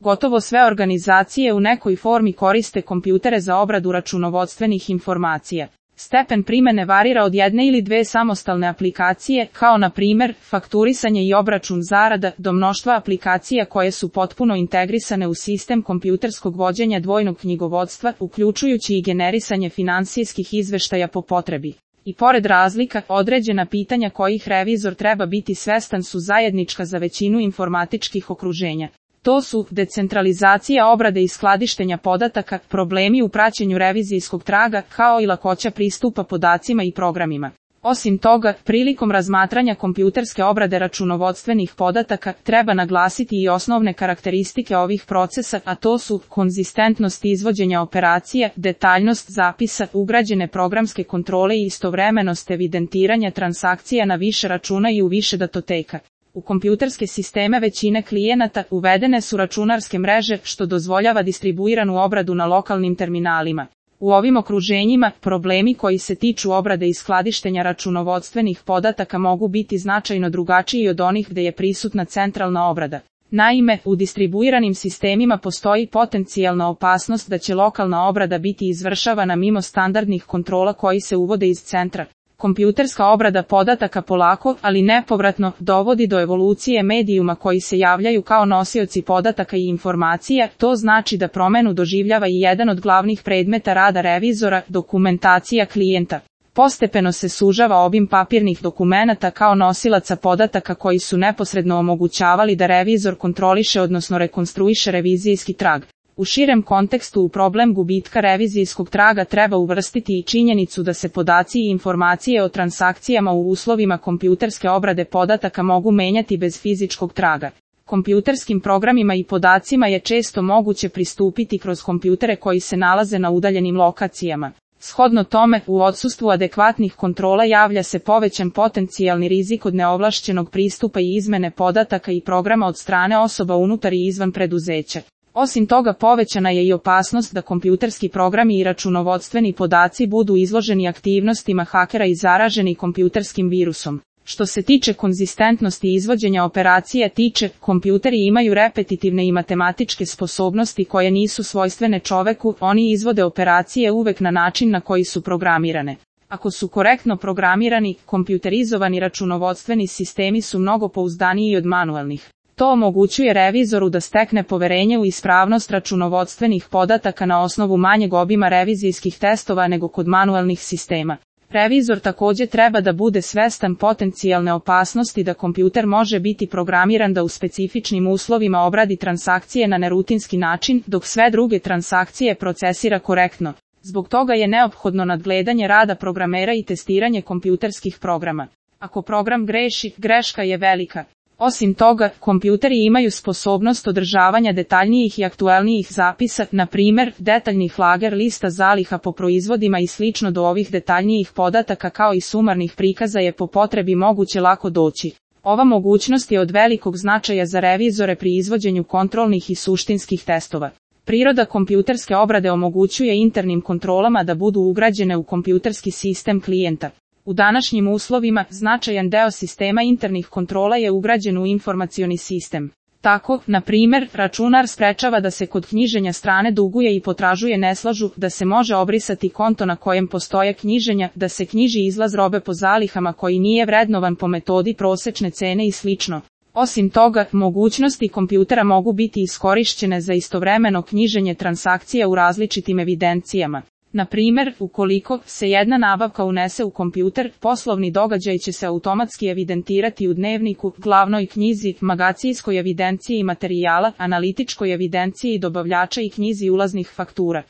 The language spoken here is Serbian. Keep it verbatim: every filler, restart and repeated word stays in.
Gotovo sve organizacije u nekoj formi koriste kompjutere za obradu računovodstvenih informacija. Stepen primene varira od jedne ili dve samostalne aplikacije, kao na primjer fakturisanje i obračun zarada, do mnoštva aplikacija koje su potpuno integrisane u sistem kompjuterskog vođenja dvojnog knjigovodstva, uključujući i generisanje finansijskih izveštaja po potrebi. I pored razlika, određena pitanja kojih revizor treba biti svestan su zajednička za većinu informatičkih okruženja. To su decentralizacija obrade i skladištenja podataka, problemi u praćenju revizijskog traga, kao i lakoća pristupa podacima i programima. Osim toga, prilikom razmatranja kompjuterske obrade računovodstvenih podataka, treba naglasiti i osnovne karakteristike ovih procesa, a to su konzistentnost izvođenja operacija, detaljnost zapisa, ugrađene programske kontrole i istovremenost evidentiranja transakcija na više računa i u više datoteka. U kompjuterske sisteme većine klijenata uvedene su računarske mreže, što dozvoljava distribuiranu obradu na lokalnim terminalima. U ovim okruženjima, problemi koji se tiču obrade i skladištenja računovodstvenih podataka mogu biti značajno drugačiji od onih gdje je prisutna centralna obrada. Naime, u distribuiranim sistemima postoji potencijalna opasnost da će lokalna obrada biti izvršavana mimo standardnih kontrola koji se uvode iz centra. Kompjuterska obrada podataka polako, ali nepovratno, dovodi do evolucije medijuma koji se javljaju kao nosioci podataka i informacija, to znači da promjenu doživljava i jedan od glavnih predmeta rada revizora, dokumentacija klijenta. Postepeno se sužava obim papirnih dokumenata kao nosilaca podataka koji su neposredno omogućavali da revizor kontroliše odnosno rekonstruiše revizijski trag. U širem kontekstu u problem gubitka revizijskog traga treba uvrstiti i činjenicu da se podaci i informacije o transakcijama u uslovima kompjuterske obrade podataka mogu menjati bez fizičkog traga. Kompjuterskim programima i podacima je često moguće pristupiti kroz kompjutere koji se nalaze na udaljenim lokacijama. Shodno tome, u odsustvu adekvatnih kontrola javlja se povećan potencijalni rizik od neovlašćenog pristupa i izmene podataka i programa od strane osoba unutar i izvan preduzeća. Osim toga, povećana je i opasnost da kompjuterski programi i računovodstveni podaci budu izloženi aktivnostima hakera i zaraženi kompjuterskim virusom. Što se tiče konzistentnosti izvođenja operacija tiče, kompjuteri imaju repetitivne i matematičke sposobnosti koje nisu svojstvene čoveku, oni izvode operacije uvek na način na koji su programirane. Ako su korektno programirani, kompjuterizovani računovodstveni sistemi su mnogo pouzdaniji od manualnih. To omogućuje revizoru da stekne poverenje u ispravnost računovodstvenih podataka na osnovu manjeg obima revizijskih testova nego kod manualnih sistema. Revizor također treba da bude svestan potencijalne opasnosti da kompjuter može biti programiran da u specifičnim uslovima obradi transakcije na nerutinski način, dok sve druge transakcije procesira korektno. Zbog toga je neophodno nadgledanje rada programera i testiranje kompjuterskih programa. Ako program greši, greška je velika. Osim toga, kompjuteri imaju sposobnost održavanja detaljnijih i aktuelnijih zapisa, na primjer, detaljnih lager lista zaliha po proizvodima i slično. Do ovih detaljnijih podataka kao i sumarnih prikaza je po potrebi moguće lako doći. Ova mogućnost je od velikog značaja za revizore pri izvođenju kontrolnih i suštinskih testova. Priroda kompjuterske obrade omogućuje internim kontrolama da budu ugrađene u kompjuterski sistem klijenta. U današnjim uslovima, značajan deo sistema internih kontrola je ugrađen u informacioni sistem. Tako, na primjer, računar sprečava da se kod knjiženja strane duguje i potražuje neslažu, da se može obrisati konto na kojem postoje knjiženja, da se knjiži izlaz robe po zalihama koji nije vrednovan po metodi prosečne cene i slično. Osim toga, mogućnosti kompjutera mogu biti iskorišćene za istovremeno knjiženje transakcija u različitim evidencijama. Na primjer, ukoliko se jedna nabavka unese u kompjuter, poslovni događaj će se automatski evidentirati u dnevniku, glavnoj knjizi, magacinskoj evidenciji materijala, analitičkoj evidenciji dobavljača i knjizi ulaznih faktura.